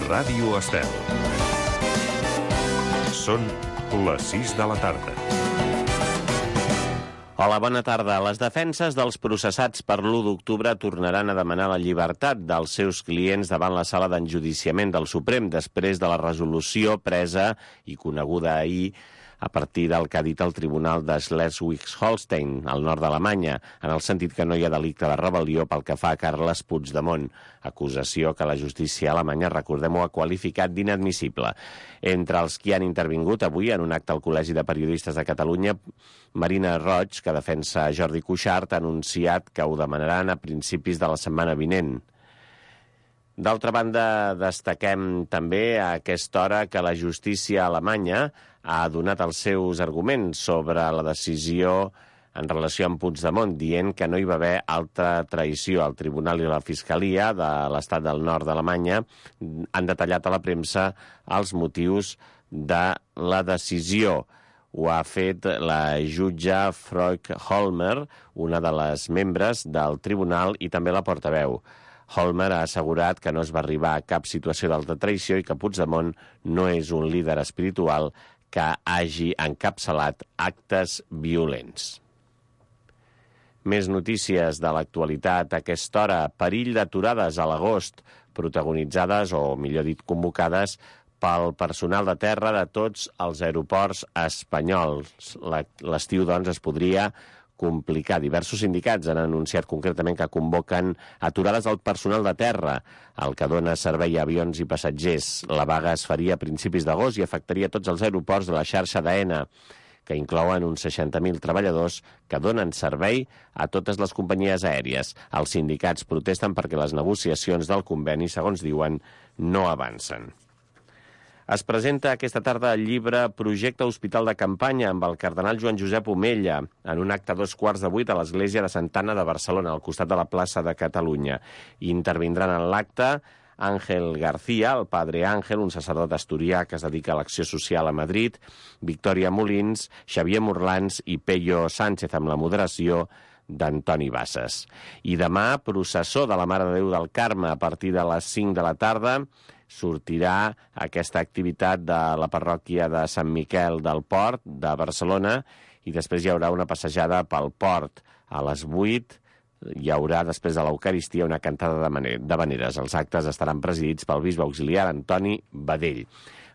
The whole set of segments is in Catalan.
Ràdio Estel. Són les 6 de la tarda. Hola, bona tarda. Les defenses dels processats per l'1 d'octubre tornaran a demanar la llibertat dels seus clients davant la sala d'enjudiciament del Suprem després de la resolució presa i coneguda ahir a partir del que ha dit el Tribunal de Schleswig-Holstein, al nord d'Alemanya, en el sentit que no hi ha delicte de rebel·lió pel que fa a Carles Puigdemont, acusació que la justícia alemanya, recordem-ho, ha qualificat d'inadmissible. Entre els que han intervingut avui en un acte al Col·legi de Periodistes de Catalunya, Marina Roig, que defensa Jordi Cuixart, ha anunciat que ho demanaran a principis de la setmana vinent. D'altra banda, destaquem també a aquesta hora que la justícia alemanya ha donat els seus arguments sobre la decisió en relació amb Puigdemont, dient que no hi va haver altra traïció. El Tribunal i la Fiscalia de l'Estat del Nord d'Alemanya han detallat a la premsa els motius de la decisió. Ho ha fet la jutge Freud Holmer, una de les membres del tribunal, i també la portaveu. Holmer ha assegurat que no es va arribar a cap situació d'alta traïció i que Puigdemont no és un líder espiritual que hagi encapçalat actes violents. Més notícies de l'actualitat a aquesta hora. Perill d'aturades a l'agost, protagonitzades, o millor dit, convocades pel personal de terra de tots els aeroports espanyols. L'estiu, doncs, es podria complicar. Diversos sindicats han anunciat concretament que convoquen aturades al personal de terra, el que dona servei a avions i passatgers. La vaga es faria a principis d'agost i afectaria tots els aeroports de la xarxa d'AENA, que inclouen uns 60.000 treballadors que donen servei a totes les companyies aèries. Els sindicats protesten perquè les negociacions del conveni, segons diuen, no avancen. Es presenta aquesta tarda el llibre Projecte Hospital de Campanya amb el cardenal Joan Josep Omella en un acte a 7:15 a l'Església de Santa Anna de Barcelona, al costat de la plaça de Catalunya. Intervindran en l'acte Ángel García, el padre Ángel, un sacerdot asturià que es dedica a l'acció social a Madrid, Victòria Molins, Xavier Morlans i Pello Sánchez, amb la moderació d'Antoni Bassas. I demà, processó de la Mare de Déu del Carme a partir de les 5 de la tarda, sortirà aquesta activitat de la parròquia de Sant Miquel del Port de Barcelona i després hi haurà una passejada pel port. A les 8 hi haurà, després de l'Eucaristia, una cantada d'havaneres. Els actes estaran presidits pel bisbe auxiliar Antoni Badell.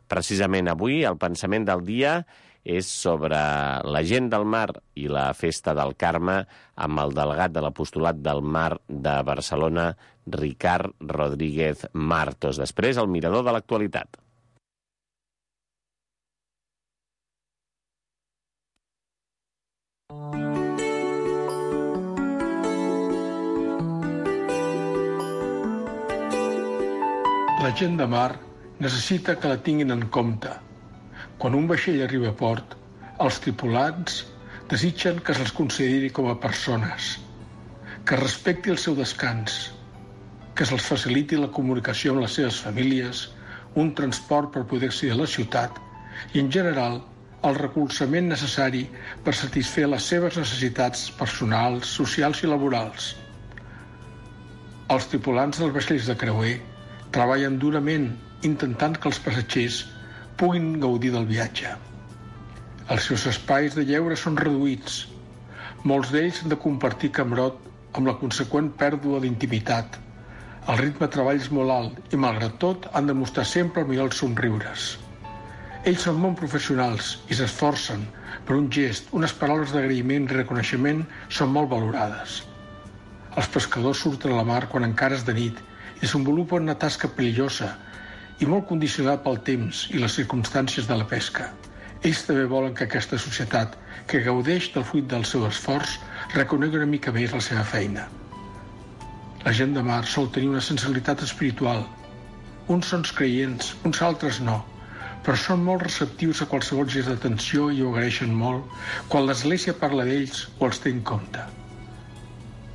Precisament avui el pensament del dia és sobre la gent del mar i la festa del Carme amb el delegat de l'Apostolat del Mar de Barcelona, Ricard Rodríguez Martos. Després, el mirador de l'actualitat. La gent de mar necessita que la tinguin en compte. Quan un vaixell arriba a port, els tripulants desitgen que se'ls consideri com a persones, que es respecti el seu descans, que se'ls faciliti la comunicació amb les seves famílies, un transport per poder accedir a la ciutat i, en general, el recolzament necessari per satisfer les seves necessitats personals, socials i laborals. Els tripulants dels vaixells de creuer treballen durament intentant que els passatgers puguin gaudir del viatge. Els seus espais de lleure són reduïts. Molts d'ells han de compartir camarote amb la conseqüent pèrdua d'intimitat. El ritme de treball és molt alt i, malgrat tot, han de mostrar sempre el millor dels somriures. Ells són molt professionals i s'esforcen, però un gest, unes paraules d'agraïment i reconeixement són molt valorades. Els pescadors surten a la mar quan encara és de nit i desenvolupen una tasca perillosa i molt condicionada pel temps i les circumstàncies de la pesca. Ells també volen que aquesta societat, que gaudeix del fruit del seu esforç, reconegui una mica més la seva feina. La gent de mar sol tenir una sensibilitat espiritual. Uns són creients, uns altres no, però són molt receptius a qualsevol gest d'atenció i ho agraeixen molt quan l'Església parla d'ells o els té en compte.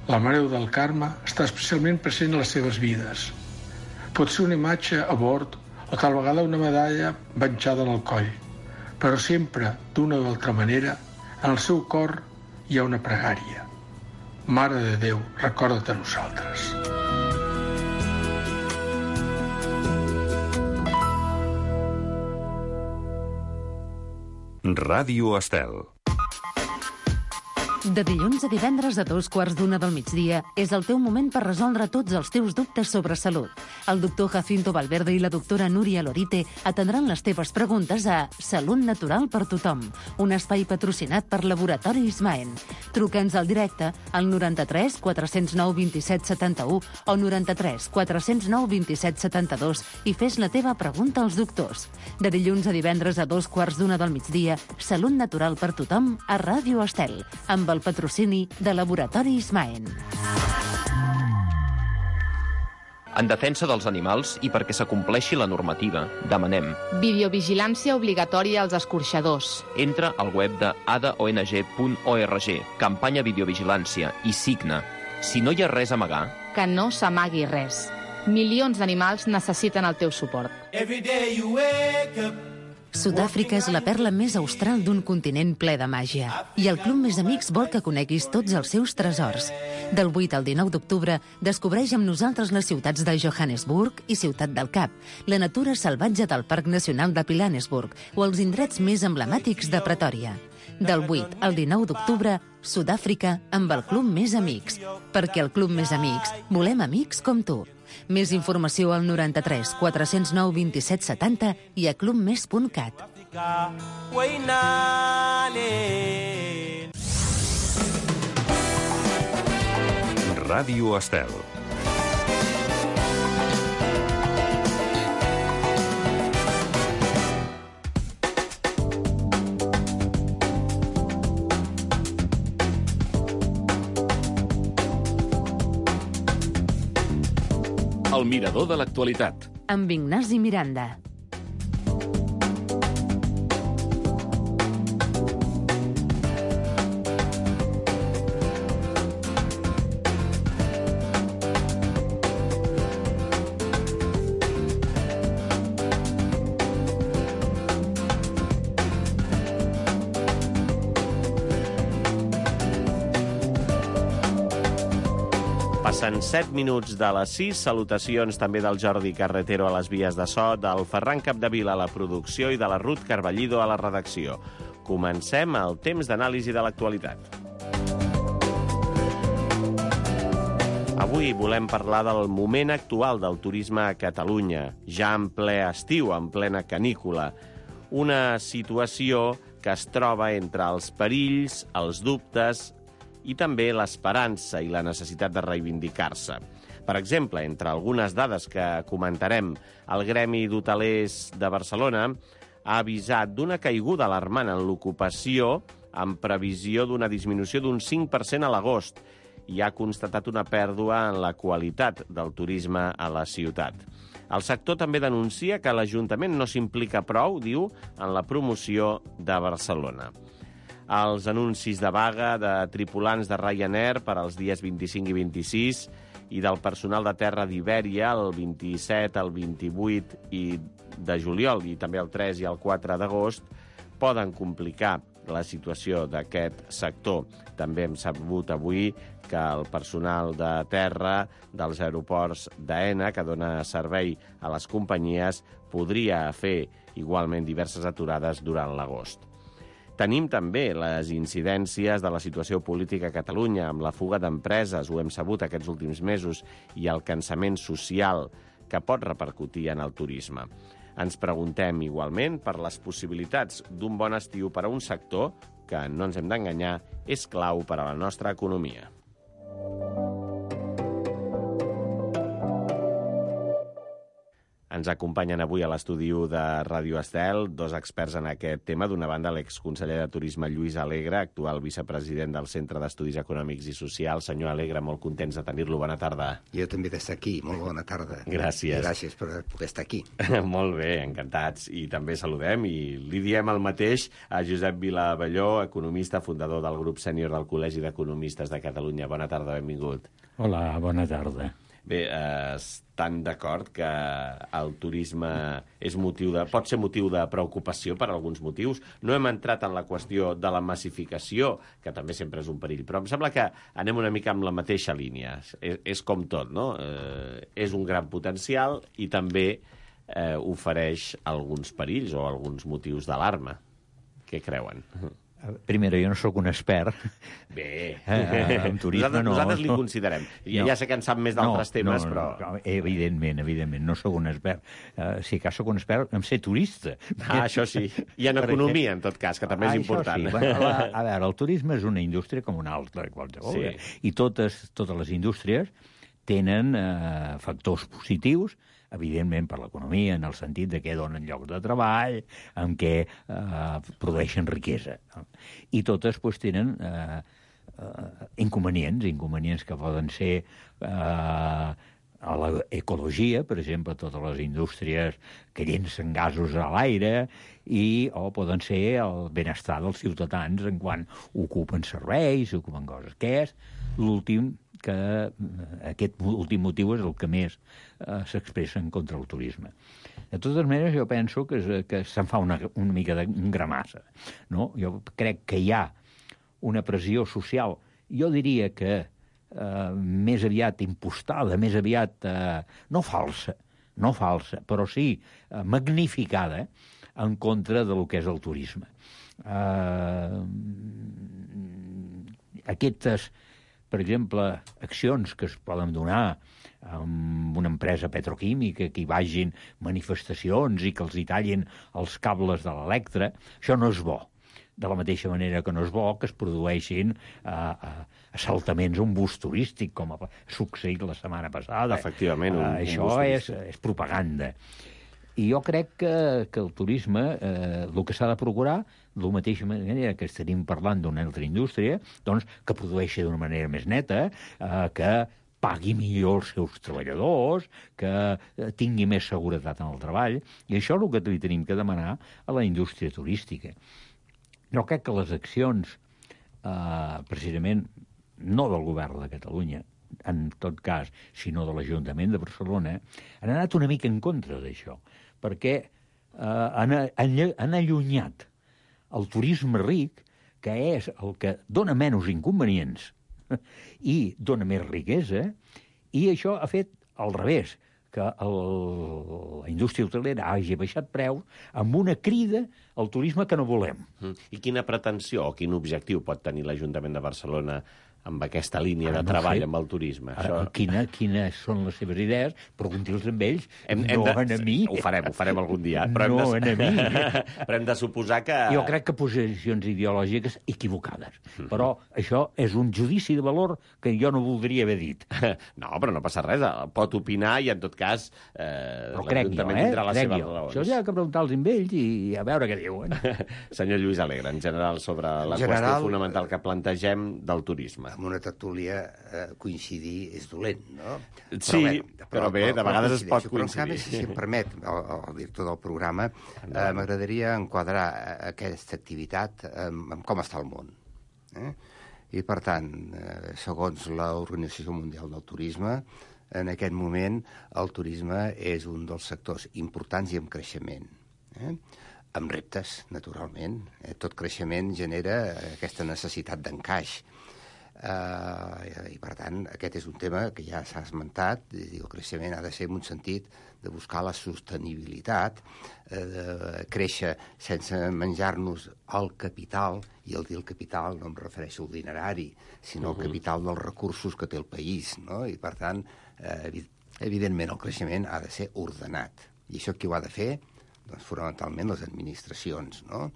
La Mare de Déu del Carme està especialment present a les seves vides. Pot ser una imatge a bord o tal vegada una medalla penjada en el coll, però sempre, d'una o d'altra manera, en el seu cor hi ha una pregària. Mare de Déu, recorda't de nosaltres. Ràdio Estel. De dilluns a divendres a 2:15 del migdia és el teu moment per resoldre tots els teus dubtes sobre salut. El doctor Jacinto Valverde i la doctora Núria Lorite atendran les teves preguntes a Salut Natural per Tothom, un espai patrocinat per Laboratori Ismaen. Truca'ns al directe al 93 409 27 71 o 93 409 27 72 i fes la teva pregunta als doctors. De dilluns a divendres a 2:15 del migdia, Salut Natural per Tothom a Ràdio Estel, amb el patrocini de Laboratori Ismaen. En defensa dels animals i perquè s'acompleixi la normativa, demanem videovigilància obligatòria als escorxadors. entra al web de adaong.org, campanya videovigilància, i signa. Si no hi ha res a amagar, Que no s'amagui res. Milions d'animals necessiten el teu suport. Sud-àfrica és la perla més austral d'un continent ple de màgia. I el Club Més Amics vol que coneguis tots els seus tresors. Del 8 al 19 d'octubre, descobreix amb nosaltres les ciutats de Johannesburg i Ciutat del Cap, la natura salvatge del Parc Nacional de Pilanesburg o els indrets més emblemàtics de Pretòria. Del 8 al 19 d'octubre, Sud-àfrica amb el Club Més Amics. Perquè el Club Més Amics volem amics com tu. Més informació al 93 409 27 70 i a clubmes.cat. Ràdio Estel. El mirador de l'actualitat. Amb Ignasi Miranda. Passen 7 minuts de les 6. Salutacions també del Jordi Carretero a les vies de so, del Ferran Capdevila a la producció i de la Ruth Carballido a la redacció. Comencem el temps d'anàlisi de l'actualitat. Avui volem parlar del moment actual del turisme a Catalunya, ja en ple estiu, en plena canícula. Una situació que es troba entre els perills, els dubtes i també l'esperança i la necessitat de reivindicar-se. Per exemple, entre algunes dades que comentarem, el Gremi d'Hotelers de Barcelona ha avisat d'una caiguda alarmant en l'ocupació amb previsió d'una disminució d'un 5% a l'agost i ha constatat una pèrdua en la qualitat del turisme a la ciutat. El sector també denuncia que l'Ajuntament no s'implica prou, diu, en la promoció de Barcelona. Els anuncis de vaga de tripulants de Ryanair per als dies 25 i 26 i del personal de terra d'Ibèria el 27, el 28 de juliol i també el 3 i el 4 d'agost poden complicar la situació d'aquest sector. També hem sabut avui que el personal de terra dels aeroports d'AENA, que dona servei a les companyies, podria fer igualment diverses aturades durant l'agost. Tenim també les incidències de la situació política a Catalunya, amb la fuga d'empreses, ho hem sabut aquests últims mesos, i el cansament social que pot repercutir en el turisme. Ens preguntem igualment per les possibilitats d'un bon estiu per a un sector que, no ens hem d'enganyar, és clau per a la nostra economia. Ens acompanyen avui a l'estudi de Ràdio Estel dos experts en aquest tema. D'una banda, l'exconseller de Turisme Lluís Alegre, actual vicepresident del Centre d'Estudis Econòmics i Socials. Senyor Alegre, molt contents de tenir-lo. Bona tarda. Jo també d'estar aquí. Molt bona tarda. Gràcies. Gràcies per poder estar aquí. Molt bé, encantats. I també saludem i li diem el mateix a Josep Vilavelló, economista, fundador del grup sènior del Col·legi d'Economistes de Catalunya. Bona tarda, benvingut. Hola, bona tarda. Bé, estan d'acord que el turisme pot ser motiu de preocupació per alguns motius. No hem entrat en la qüestió de la massificació, que també sempre és un perill, però em sembla que anem una mica amb la mateixa línia. És com tot, no? És un gran potencial i també ofereix alguns perills o alguns motius d'alarma. Què creuen? Primera, jo no sóc un expert. Bé, en turisme nosaltres li considerem. Ja sé que en sap més d'altres temes, però... Evidentment, no sóc un expert. Si cas sóc un expert, em sé turista. Això sí. I en economia, en tot cas, que també és important. Sí. Bueno, a veure, el turisme és una indústria com una altra, qualsevol. Sí. I totes les indústries tenen factors positius, evidentment per l'economia, en el sentit de que donen llocs de treball, en què produeixen riquesa. I totes tenen inconvenients que poden ser a l'ecologia, per exemple, totes les indústries que llencen gasos a l'aire, o poden ser el benestar dels ciutadans en quan ocupen serveis, ocupen coses. Què és l'últim? Que aquest últim motiu és el que més s'expressa en contra del turisme. De totes maneres, jo penso que se'n fa una mica de gramassa. No? Jo crec que hi ha una pressió social, jo diria que més aviat impostada, més aviat no falsa, però sí magnificada en contra del que és el turisme. Aquestes, per exemple, accions que es poden donar amb una empresa petroquímica, que hi vagin manifestacions i que els hi tallin els cables de l'Electra, això no és bo. De la mateixa manera que no és bo que es produeixin assaltaments a un bus turístic, com ha succeït la setmana passada. Efectivament, això és propaganda. I jo crec que el turisme, el que s'ha de procurar, de la mateixa manera que estaríem parlant d'una altra indústria, doncs que produeixi d'una manera més neta, que pagui millor els seus treballadors, que tingui més seguretat en el treball, i això és el que li tenim que demanar a la indústria turística. Jo crec que les accions, precisament, no del govern de Catalunya, en tot cas, sinó de l'Ajuntament de Barcelona, han anat una mica en contra d'això, perquè han allunyat el turisme ric, que és el que dona menys inconvenients i dona més riquesa, i això ha fet al revés, que la indústria hotelera hagi baixat preus amb una crida al turisme que no volem. I quina pretensió o quin objectiu pot tenir l'Ajuntament de Barcelona amb aquesta línia de treball amb el turisme? Quines són les seves idees? Pregunti-los amb ells, a mi. Ho farem algun dia. A mi. Però hem de suposar que... Jo crec que posicions ideològiques equivocades. Però això és un judici de valor que jo no voldria haver dit. No, però no passa res. Pot opinar i, en tot cas, l'Ajuntament tindrà les seves raons. Això ja ha que preguntar-los amb ells i a veure què diuen. Senyor Lluís Alegre, en general, sobre la qüestió fonamental que plantegem del turisme. Amb una tertúlia coincidir és dolent, no? Sí, però bé, de vegades es pot coincidir. Si em permet, el director del programa, m'agradaria enquadrar aquesta activitat amb com està el món. I, per tant, segons l'Organització Mundial del Turisme, en aquest moment el turisme és un dels sectors importants i en creixement. Amb reptes, naturalment. Tot creixement genera aquesta necessitat d'encaix. I, per tant, aquest és un tema que ja s'ha esmentat. El creixement ha de ser en un sentit de buscar la sostenibilitat, de créixer sense menjar-nos el capital, i al dir el capital no em refereixo al dinerari, sinó al capital dels recursos que té el país, no? I, per tant, evidentment, el creixement ha de ser ordenat. I això qui ho ha de fer? Doncs fonamentalment les administracions, no?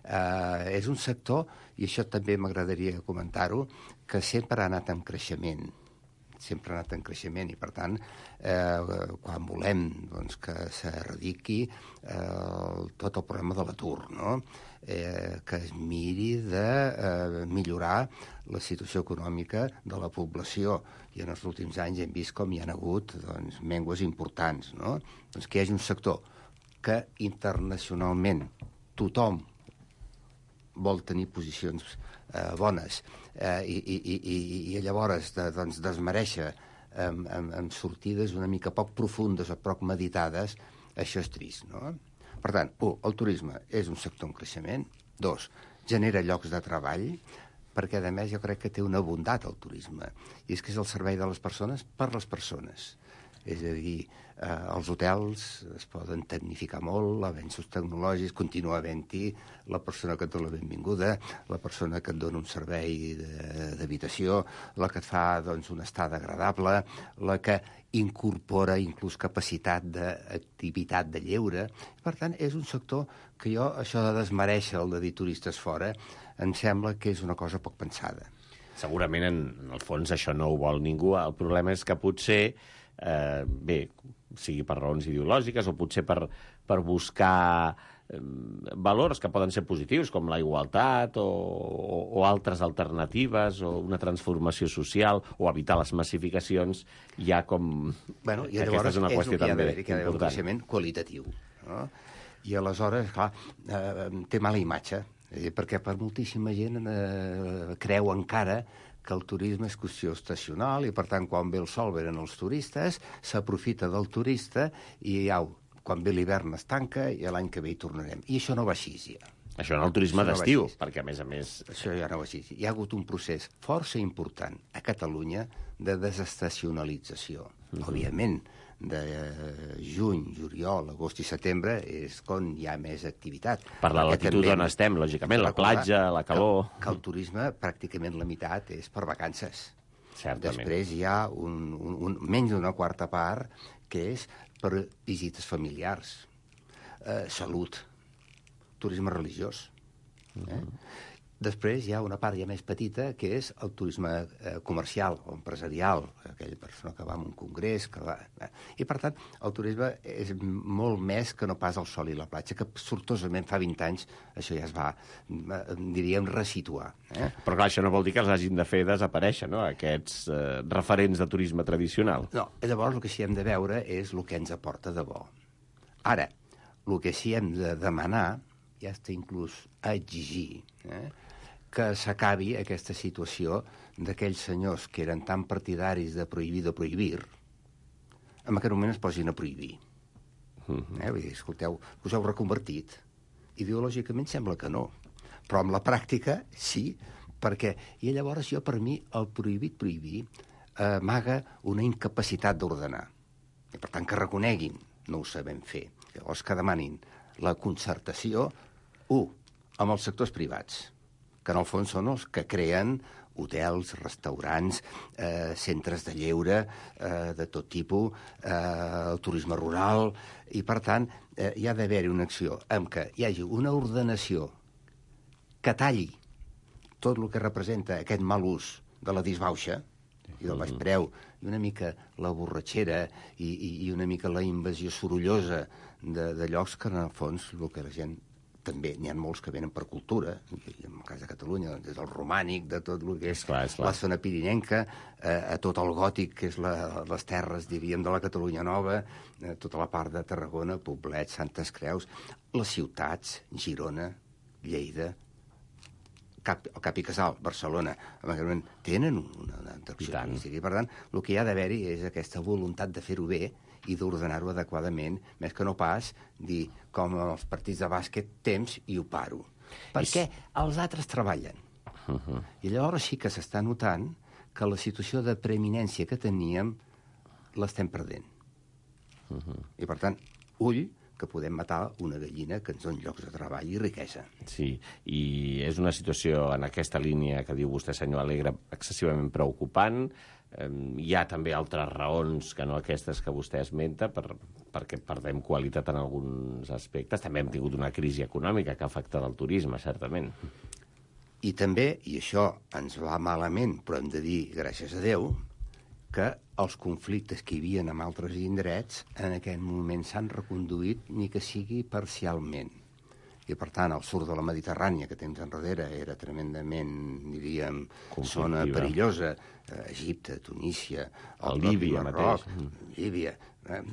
És un sector, i això també m'agradaria comentar-ho, que sempre ha anat en creixement. Sempre ha anat en creixement i, per tant, quan volem que s'erradiqui tot el problema de l'atur, no? Que es miri de millorar la situació econòmica de la població. I en els últims anys hem vist com hi ha hagut mengues importants, no? Doncs que hi hagi un sector que internacionalment tothom vol tenir posicions bones i llavors desmereixer amb sortides una mica poc profundes o poc meditades, això és trist, no? Per tant, el turisme és un sector en creixement. 2, genera llocs de treball, perquè, a més, jo crec que té una bondat el turisme, i és que és el servei de les persones per les persones. És a dir, els hotels es poden tecnificar molt, avenços tecnològics, continua havent-hi la persona que et dona la benvinguda, la persona que et dona un servei d'habitació, la que et fa doncs, una estada agradable, la que incorpora inclús capacitat d'activitat de lleure. Per tant, és un sector que jo, això de desmereixer el de dir turistes fora, em sembla que és una cosa poc pensada. Segurament, en el fons, això no ho vol ningú. El problema és que potser, bé, sigui per raons ideològiques o potser per buscar valors que poden ser positius, com la igualtat o altres alternatives o una transformació social o evitar les massificacions, hi ha com... Bueno, i aquesta és una qüestió també important. Que hi ha d'haver un creixement qualitatiu. No? I aleshores, clar, té mala imatge, perquè per moltíssima gent creu encara que el turisme és qüestió estacional i, per tant, quan ve el sol venen els turistes, s'aprofita del turista i quan ve l'hivern es tanca i l'any que ve hi tornarem. I això no va així, ja. Això en el turisme d'estiu, perquè, a més... Això ja no va així. Hi ha hagut un procés força important a Catalunya de desestacionalització. Òbviament, de juny, juliol, agost i setembre és quan hi ha més activitat. Per la latitud on estem, lògicament, la platja, la calor... Que el turisme, pràcticament la meitat, és per vacances. Certament. Després hi ha menys d'una quarta part que és per visites familiars, salut, turisme religiós. Després hi ha una part ja més petita, que és el turisme comercial o empresarial, aquella persona que va a un congrés... I, per tant, el turisme és molt més que no pas el sol i la platja, que sortosament fa 20 anys això ja es va, diríem, resituar. Però clar, això no vol dir que els hagin de fer desaparèixer, no?, aquests referents de turisme tradicional. No, llavors el que sí hem de veure és el que ens aporta de bo. Ara, el que sí hem de demanar, ja està inclús a exigir, que s'acabi aquesta situació d'aquells senyors que eren tan partidaris de prohibir, en aquest moment es posin a prohibir. Vull dir, escolteu, us heu reconvertit. Ideològicament sembla que no, però amb la pràctica sí, perquè... I llavors jo, per mi, el prohibir amaga una incapacitat d'ordenar. I per tant, que reconeguin, no ho sabem fer. Llavors que demanin la concertació, amb els sectors privats, que en el fons són els que creen hotels, restaurants, centres de lleure de tot tipus, el turisme rural, i per tant hi ha d'haver-hi una acció en què hi hagi una ordenació que talli tot el que representa aquest mal ús de la disbauxa i del baix preu, i una mica la borratxera i una mica la invasió sorollosa de llocs que, en el fons, el que la gent... També n'hi ha molts que venen per cultura, en el cas de Catalunya, des del romànic, de tot el que és la zona pirinenca, a tot el gòtic, que és les terres, diríem, de la Catalunya Nova, tota la part de Tarragona, Poblet, Santes Creus, les ciutats, Girona, Lleida, el Cap i Casal, Barcelona, tenen una atracció turística. I, per tant, el que hi ha d'haver-hi és aquesta voluntat de fer-ho bé i d'ordenar-ho adequadament, més que no pas dir, com els partits de bàsquet, temps i ho paro. Perquè els altres treballen. I llavors sí que s'està notant que la situació de preeminència que teníem l'estem perdent. I, per tant, ull, que podem matar una gallina que ens doni llocs de treball i riquesa. Sí, i és una situació en aquesta línia que diu vostè, senyor Alegre, excessivament preocupant. Hi ha també altres raons que no aquestes que vostè esmenta perquè perdem qualitat en alguns aspectes. També hem tingut una crisi econòmica que ha afectat el turisme, certament. I també, i això ens va malament, però hem de dir, gràcies a Déu, que els conflictes que hi havia en altres indrets en aquest moment s'han reconduït, ni que sigui parcialment. I, per tant, al sud de la Mediterrània, que temps enrere era tremendament, diríem, zona perillosa, Egipte, Tunísia, el Líbia Marroc, Líbia,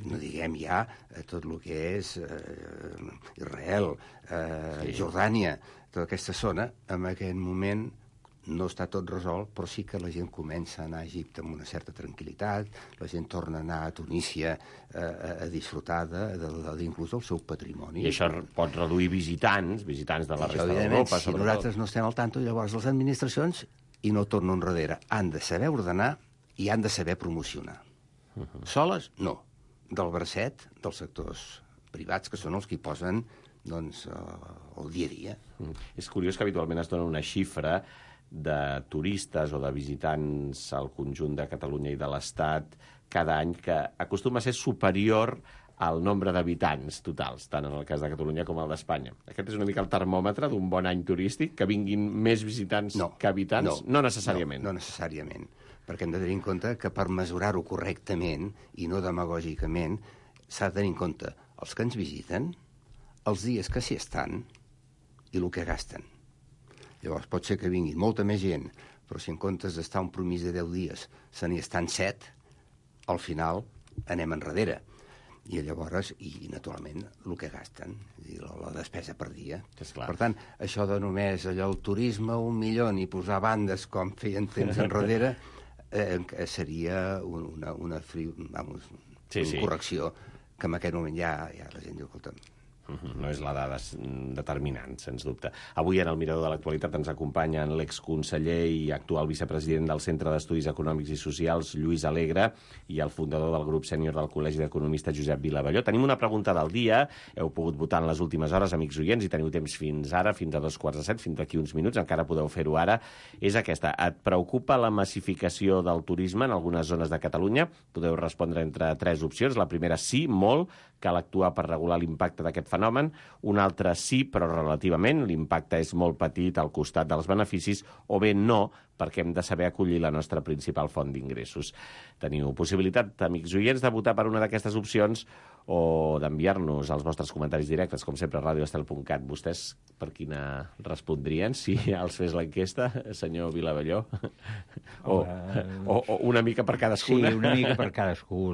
no diguem ja tot el que és Israel, Jordània, tota aquesta zona, en aquest moment no està tot resolt, però sí que la gent comença a anar a Egipte amb una certa tranquil·litat, la gent torna a anar a Tunísia a disfrutar inclús del seu patrimoni. I això pot reduir visitants de la resta d'Europa, si nosaltres no estem al tanto, llavors les administracions, i no torno enrere, han de saber ordenar i han de saber promocionar. Soles, no. Del bracet dels sectors privats, que són els que hi posen doncs, el dia a dia. És curiós que habitualment es dona una xifra de turistes o de visitants al conjunt de Catalunya i de l'Estat cada any que acostuma a ser superior al nombre d'habitants totals, tant en el cas de Catalunya com el d'Espanya. Aquest és una mica el termòmetre d'un bon any turístic, que vinguin més visitants que habitants? No necessàriament. No necessàriament, perquè hem de tenir en compte que per mesurar-ho correctament i no demagògicament s'ha de tenir en compte els que ens visiten, els dies que s'hi estan i el que gasten. Llavors pot ser que vingui molta més gent, però si en comptes d'estar un promís de 10 dies se n'hi estan 7, al final anem enrere. I llavors, i naturalment, el que gasten, la despesa per dia. Per tant, això de només allò, el turisme, 1 milió, i posar bandes com feien temps enrere, seria una correcció que en aquest moment ja la gent diu, escolta'm, no és la dada determinant, sens dubte. Avui en el Mirador de l'Actualitat ens acompanyen l'exconseller i actual vicepresident del Centre d'Estudis Econòmics i Socials, Lluís Alegre, i el fundador del grup sènior del Col·legi d'Economistes, Josep Vilavelló. Tenim una pregunta del dia. Heu pogut votar en les últimes hores, amics oients, i teniu temps fins ara, fins a 2:45, fins d'aquí uns minuts, encara podeu fer-ho ara. És aquesta. Et preocupa la massificació del turisme en algunes zones de Catalunya? Podeu respondre entre 3 opcions. La primera, sí, molt, cal actuar per regular l'impacte d'aquest fenomen. Una altra, sí, però relativament, l'impacte és molt petit al costat dels beneficis, o bé no, perquè hem de saber acollir la nostra principal font d'ingressos. Teniu possibilitat, amics oients, de votar per una d'aquestes opcions o d'enviar-nos els vostres comentaris directes, com sempre, a radioestel.cat. Vostès per quina respondrien si els fes l'enquesta, senyor Vilavelló? O una mica per cadascuna? Sí, una mica per cadascú.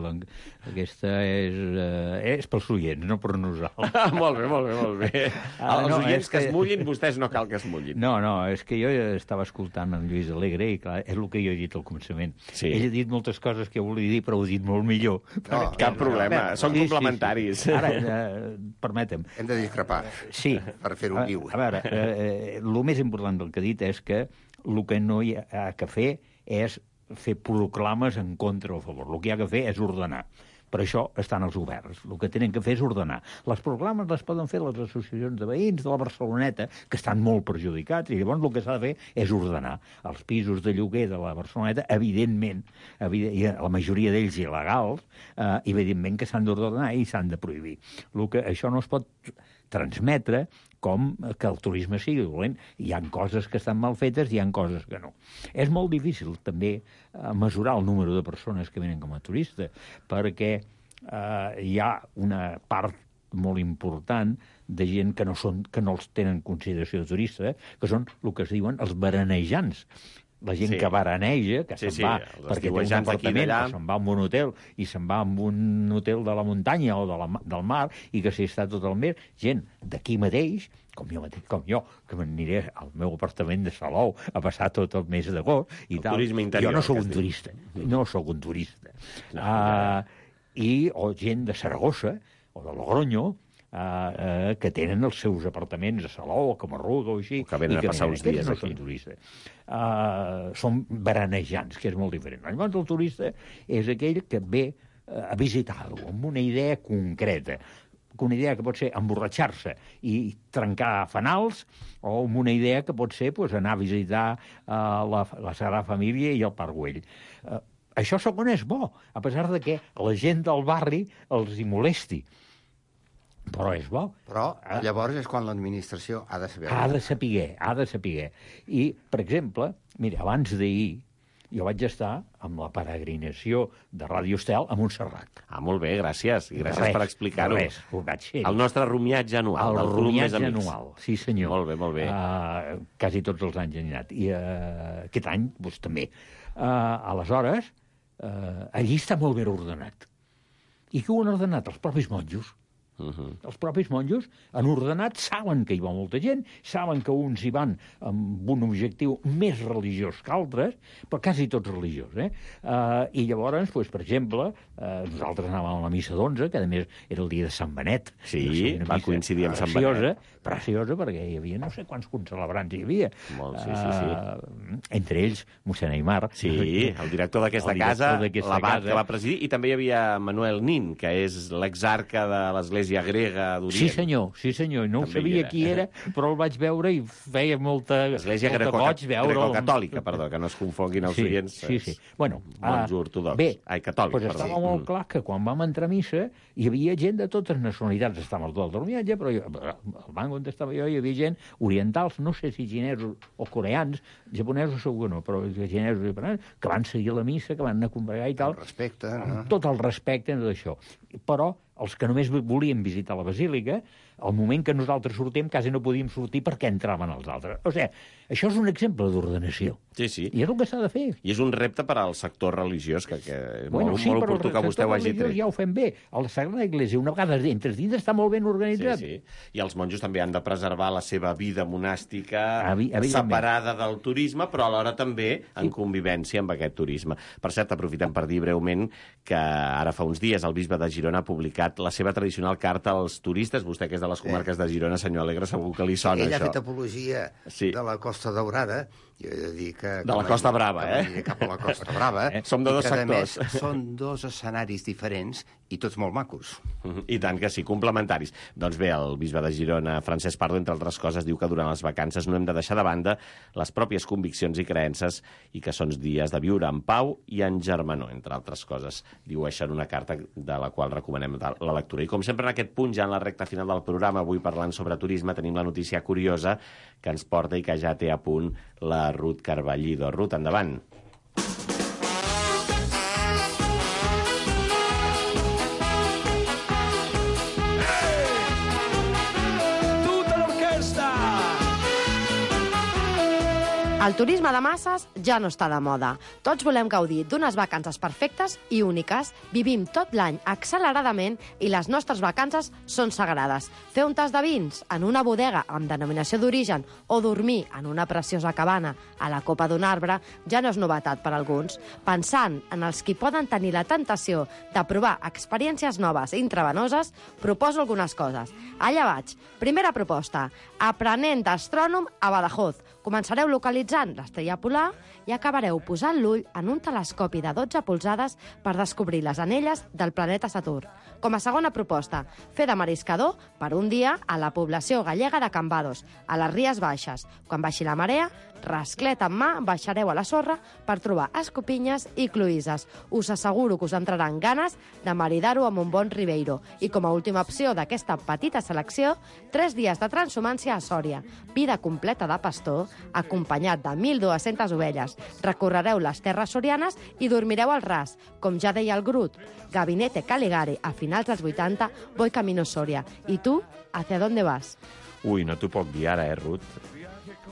Aquesta és pels oients, no per nosaltres. Molt bé. Els oients que es mullin, vostès no cal que es mullin. No, és que jo estava escoltant en Lluís Alegre i, clar, és el que jo he dit al començament. Sí. Ell ha dit moltes coses que jo volia dir, però ho he dit molt millor. No, cap problema. Són complementaris. Sí. Ara, permetem. Hem de discrepar. Sí. Per fer-ho viu. A veure, el més important del que ha dit és que el que no hi ha que fer és fer proclames en contra o a favor. El que hi ha que fer és ordenar. Per això estan els governs. El que tenen que fer és ordenar. Les proclames les poden fer les associacions de veïns de la Barceloneta, que estan molt perjudicats, i llavors el que s'ha de fer és ordenar. Els pisos de lloguer de la Barceloneta, evidentment, la majoria d'ells il·legals, evidentment que s'han d'ordenar i s'han de prohibir. Això no es pot transmetre com que el turisme sigui dolent. Hi ha coses que estan mal fetes i hi ha coses que no. És molt difícil també mesurar el número de persones que venen com a turistes, perquè hi ha una part molt important de gent que no els tenen consideració de turista, que són el que es diuen els veranejants. La gent que veraneja, que se'n va perquè té un apartament, o se'n va a un hotel, i se'n va a un hotel de la muntanya o del mar, i que s'hi està tot el mes, gent d'aquí mateix, com jo, que m'aniré al meu apartament de Salou a passar tot el mes d'agost i tal. Jo no sóc un turista. No sóc un turista. O gent de Saragossa o de Logroño, que tenen els seus apartaments a Salou o a Camarruga o així, que venen a passar uns dies aquí. Són veranejants, que és molt diferent. Llavors el turista és aquell que ve a visitar-ho amb una idea concreta, una idea que pot ser emborratxar-se i trencar fanals, o amb una idea que pot ser anar a visitar la Sagrada Família i el Parc Güell. Això segon és bo, a pesar de que la gent del barri els hi molesti. Però és bo. Però llavors és quan l'administració ha de saber. Ha de saber. I, per exemple, mira, abans d'ahir jo vaig estar amb la peregrinació de Ràdio Estel a Montserrat. Molt bé, gràcies. I gràcies per explicar-ho. El nostre rumiatge anual. El rumiatge anual, sí senyor. Molt bé. Quasi tots els anys han anat. I aquest any, doncs, també. Aleshores, allí està molt ben ordenat. I qui ho han ordenat? Els propis monjos. Els propis monjos han ordenat, saben que hi va molta gent, saben que uns hi van amb un objectiu més religiós que altres, però quasi tots religiosos, I llavors, per exemple, nosaltres anàvem a la missa d'11, que a més era el dia de Sant Benet. Sí, va coincidir amb Sant Benet. Preciosa, perquè hi havia no sé quants concelebrants hi havia. Molt, sí. Entre ells, mossèn Aimar. Sí, el director d'aquesta casa, l'abat que va presidir, i també hi havia Manuel Nin, que és l'exarca de l'Església grega d'Orient. Sí, senyor. No ho sabia qui era, però el vaig veure i feia molta Església greco-catòlica, perdó, que no es confonguin els oients. Sí. Bueno, monjos ortodoxs. Catòlics, doncs estava molt clar que quan vam entrar a missa hi havia gent de totes nacionalitats. Estava el dormiatge, però al banc on estava jo hi havia gent orientals, no sé si xinesos o coreans, japonesos segur que no, però xinesos i japonesos, que van seguir la missa, que van anar a congregar i tal. El respecte, no? Tot el respecte de tot això. Però els que només volien visitar la basílica, al moment que nosaltres sortim, quasi no podíem sortir perquè entraven els altres. O sigui, això és un exemple d'ordenació. Sí. I és el que s'ha de fer. I és un repte per al sector religiós, que molt oportú que vostè ho hagi tret. Ja ho fem bé. A la Sagrada Iglésia, una vegada entres dins, està molt ben organitzat. Sí. I els monjos també han de preservar la seva vida monàstica separada del turisme, però alhora també en convivència amb aquest turisme. Per cert, aprofitem per dir breument que ara fa uns dies el bisbe de Girona ha publicat la seva tradicional carta als turistes. Vostè, que és de les comarques de Girona, senyor Alegre, segur que li sona, ell això. Ell ha fet apologia de la Costa Daurada. Jo he de dir que... De la Costa Brava, Cap a la Costa Brava. Som de dos sectors. A més, són dos escenaris diferents i tots molt macos. I tant que sí, complementaris. Doncs bé, el bisbe de Girona, Francesc Pardo, entre altres coses, diu que durant les vacances no hem de deixar de banda les pròpies conviccions i creences i que són dies de viure en pau i en germanor, entre altres coses. Diu això en una carta de la qual recomanem la lectura. I com sempre en aquest punt, ja en la recta final del programa, avui parlant sobre turisme, tenim la notícia curiosa que ens porta i que ja té a punt la Ruth Carballido. Ruth, endavant. El turisme de masses ja no està de moda. Tots volem gaudir d'unes vacances perfectes i úniques. Vivim tot l'any acceleradament i les nostres vacances són sagrades. Fer un tas de vins en una bodega amb denominació d'origen o dormir en una preciosa cabana a la copa d'un arbre ja no és novetat per a alguns. Pensant en els qui poden tenir la tentació de provar experiències noves i intravenoses, proposo algunes coses. Allà vaig. Primera proposta. Aprenent d'astrònom a Badajoz. Començareu localitzant l'estrella polar i acabareu posant l'ull en un telescopi de 12 polzades per descobrir les anelles del planeta Saturn. Com a segona proposta, fer de mariscador per un dia a la població gallega de Cambados, a les Ries Baixes. Quan baixi la marea, rasclet en mà, baixareu a la sorra per trobar escopinyes i cloïsses. Us asseguro que us entraran ganes de maridar-ho amb un bon ribeiro. I com a última opció d'aquesta petita selecció, 3 dies de transhumància a Sòria. Vida completa de pastor, acompanyat de 1.200 ovelles. Recorrereu les terres sorianes i dormireu al ras. Com ja deia el Grut, Gabinete Caligari, a finals dels 80, voy camino Soria. I tu, hacia dónde vas? Ui, no t'ho puc dir ara, Ruth?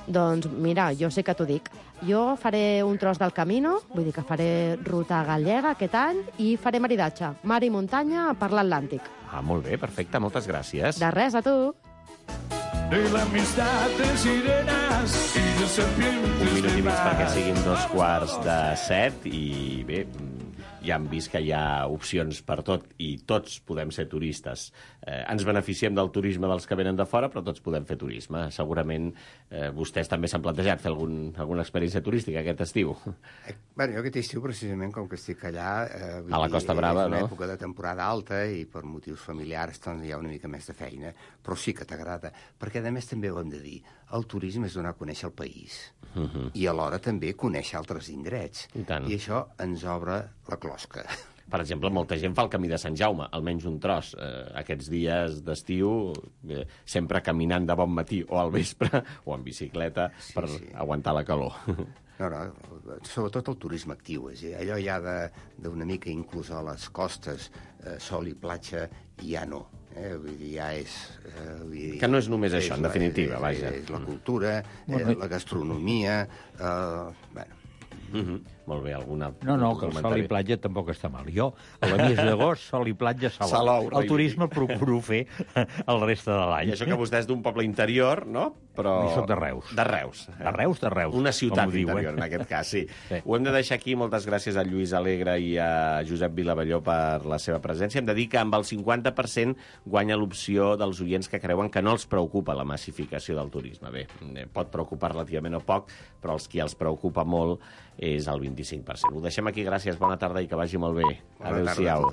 Doncs mira, jo sé que t'ho dic. Jo faré un tros del camino, vull dir que faré ruta gallega aquest any i faré maridatge, mar i muntanya per l'Atlàntic. Ah, molt bé, perfecte, moltes gràcies. De res, a tu. De l'amistat de sirenes i de serpientes. Un minut i mig perquè siguin 2:45 i bé, ja hem vist que hi ha opcions per tot i tots podem ser turistes. Ens beneficiem del turisme dels que venen de fora, però tots podem fer turisme. Segurament vostès també s'han plantejat fer alguna experiència turística aquest estiu. Bé, jo aquest estiu, precisament, com que estic allà... A la Costa Brava, no? És una època de temporada alta i per motius familiars doncs, hi ha una mica més de feina, però sí que t'agrada. Perquè, a més, també ho hem de dir, el turisme és donar a conèixer el país i alhora també conèixer altres indrets. I tant. I això ens obre la closca. Per exemple, molta gent fa el camí de Sant Jaume, almenys un tros. Aquests dies d'estiu, sempre caminant de bon matí o al vespre, o en bicicleta, per aguantar la calor. No, sobretot el turisme actiu. Allò ja d'una mica, inclús a les costes, sol i platja, ja no. Vull dir, ja és... Que no és només això, en definitiva, vaja. És la cultura, la gastronomia... Molt bé, alguna... No, que el sol i platja tampoc està mal. Jo, a la mes d'agost, sol i platja, salou. El turisme el procuro fer el reste de l'any. I això que vostè és d'un poble interior, no? Però... I soc de Reus. De Reus. De Reus. Una ciutat interior, en aquest cas, sí. Ho hem de deixar aquí. Moltes gràcies a Lluís Alegre i a Josep Vilavelló per la seva presència. Hem de dir que amb el 50% guanya l'opció dels oients que creuen que no els preocupa la massificació del turisme. Bé, pot preocupar relativament o poc, però els qui els preocupa molt és el 25%. Ho deixem aquí, gràcies, bona tarda i que vagi molt bé. Adéu-siau.